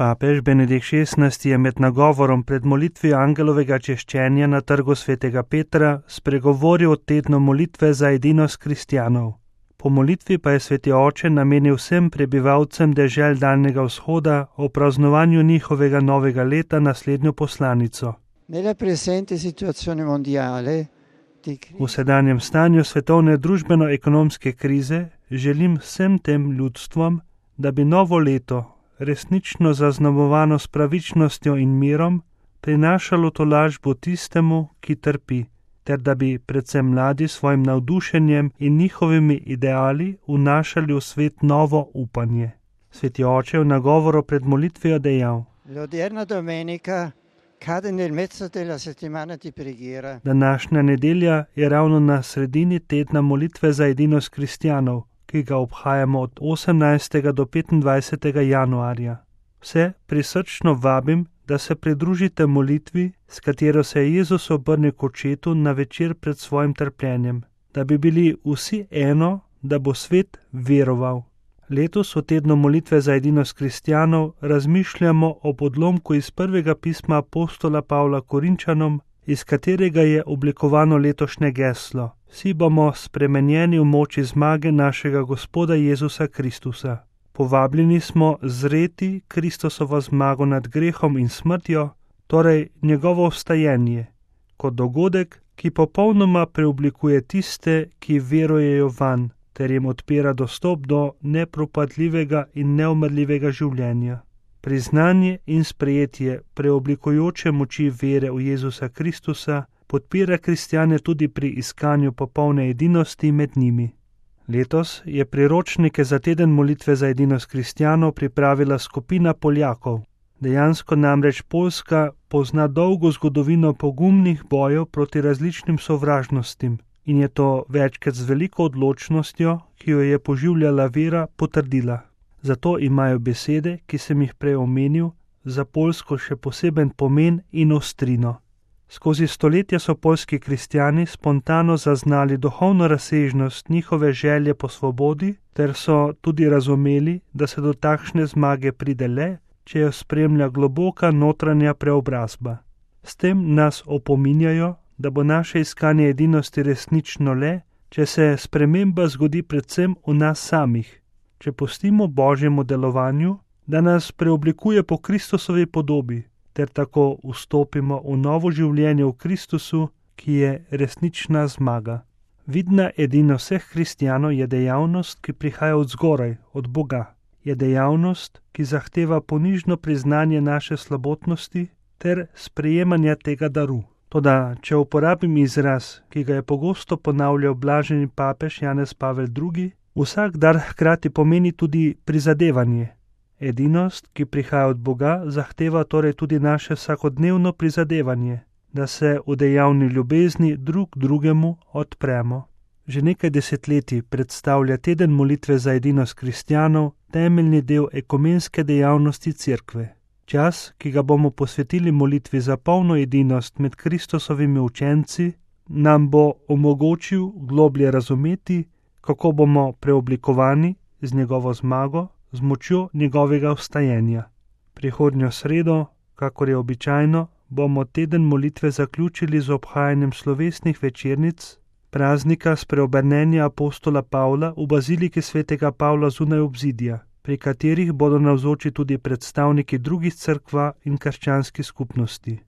Papež Benedikt XVI je med nagovorom pred molitvijo angelovega češčenja na trgu svetega Petra spregovoril o tednu molitve za edinost kristjanov. Po molitvi pa je sveti oče namenil vsem prebivalcem dežel Daljnega vzhoda o praznovanju njihovega novega leta naslednjo poslanico. V sedanjem stanju svetovne družbeno-ekonomske krize želim vsem tem ljudstvom, da bi novo leto, resnično zaznamovano s pravičnostjo in mirom, prinašalo tolažbo tistemu, ki trpi, ter da bi predvsem mladi svojim navdušenjem in njihovimi ideali vnašali v svet novo upanje. Sveti oče v nagovoru pred molitvijo dejal: Današnja nedelja je ravno na sredini tedna molitve za edinost kristjanov, ki ga obhajamo od 18. do 25. januarja. Vse prisrčno vabim, da se pridružite molitvi, s katero se je Jezus obrnil k očetu na večer pred svojim trpljenjem, da bi bili vsi eno, da bo svet veroval. Letos v tednu molitve za edinost kristjanov razmišljamo o odlomku iz prvega pisma apostola Pavla Korinčanom, iz katerega je oblikovano letošnje geslo: Vsi bomo spremenjeni v moči zmage našega Gospoda Jezusa Kristusa. Povabljeni smo zreti Kristusovo zmago nad grehom in smrtjo, torej njegovo vstajenje, kot dogodek, ki popolnoma preoblikuje tiste, ki verujejo vanj, ter jim odpira dostop do nepropadljivega in neumrljivega življenja. Priznanje in sprejetje preoblikujoče moči vere v Jezusa Kristusa podpira kristjane tudi pri iskanju popolne edinosti med njimi. Letos je priročnike za teden molitve za edinost kristjanov pripravila skupina Poljakov. Dejansko namreč Poljska pozna dolgo zgodovino pogumnih bojev proti različnim sovražnostim in je to večkrat z veliko odločnostjo, ki jo je poživljala vera, potrdila. Zato imajo besede, ki sem jih prej omenil, za Poljsko še poseben pomen in ostrino. Skozi stoletja so poljski kristjani spontano zaznali duhovno razsežnost njihove želje po svobodi, ter so tudi razumeli, da se do takšne zmage pride le, če jo spremlja globoka notranja preobrazba. S tem nas opominjajo, da bo naše iskanje edinosti resnično le, če se sprememba zgodi predvsem v nas samih, če pustimo Božjemu delovanju, da nas preoblikuje po Kristusovi podobi, ter tako vstopimo v novo življenje v Kristusu, ki je resnična zmaga. Vidna edinost vseh kristjanov je dejavnost, ki prihaja od zgoraj, od Boga. Je dejavnost, ki zahteva ponižno priznanje naše slabotnosti ter sprejemanja tega daru. Toda, če uporabim izraz, ki ga je pogosto ponavljal blaženi papež Janez Pavel II, vsak dar hkrati pomeni tudi prizadevanje. Edinost, ki prihaja od Boga, zahteva torej tudi naše vsakodnevno prizadevanje, da se v dejavni ljubezni drug drugemu odpremo. Že nekaj desetletij predstavlja teden molitve za edinost kristjanov temeljni del ekumenske dejavnosti Cerkve. Čas, ki ga bomo posvetili molitvi za polno edinost med Kristusovimi učenci, nam bo omogočil globlje razumeti, kako bomo preoblikovani z njegovo zmago, z močjo njegovega vstajenja. Prihodnjo sredo, kakor je običajno, bomo teden molitve zaključili z obhajanjem slovesnih večernic praznika spreobrnenja apostola Pavla v baziliki svetega Pavla zunaj obzidja, pri katerih bodo navzoči tudi predstavniki drugih cerkva in krščanskih skupnosti.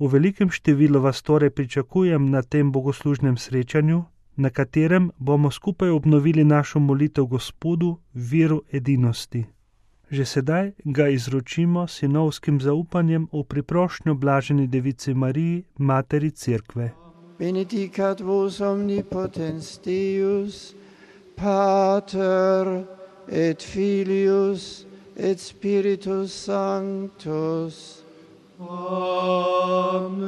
V velikem številu vas torej pričakujem na tem bogoslužnem srečanju, na katerem bomo skupaj obnovili našo molitev Gospodu v veru edinosti. Že sedaj ga izročimo sinovskim zaupanjem v priprošnjo blaženi devici Mariji, materi Cerkve. Benedicat vos omnipotens Deus, Pater et Filius et Spiritus Sanctus. Amen.